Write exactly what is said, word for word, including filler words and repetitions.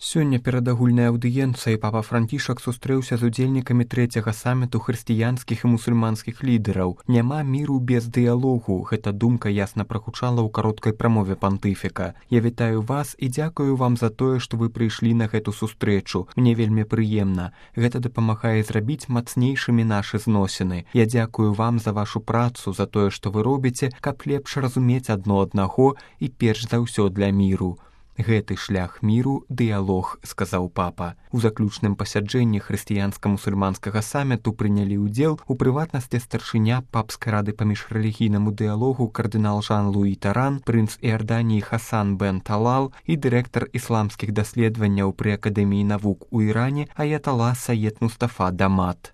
Сёння перад агульнай аўдыенцыяй папа Францішак сустрэўся з удзельнікамі трэцяга саміту хрысціянскіх і мусульманскіх лідараў. Няма міру без дыялогу. Гэта думка ясна прагучала ў кароткай прамове пантыфіка. Я вітаю вас і дзякую вам за тое, што вы прыйшлі на гэту сустрэчу. Мне вельмі прыемна. Гэта дапамагае зрабіць мацнейшымі нашы зносіны. Я дзякую вам за вашу працу, за тое, што вы робіце, каб лепш разумець адно аднаго і перш за ўсё для міру. Гэты шлях міру – дыялог, сказаў папа. У заключным пасяджэнні хрысціянска-мусульманскага саміту прынялі ўдзел у прыватнасці старшыня папскай рады па міжрэлігійнаму дыялогу кардынал Жан-Луі Таран, прынц Іорданіі Хасан бен Талал і дырэктар ісламскіх даследаванняў пры Акадэміі навук у Іране аятала Саед Мустафа Дамат.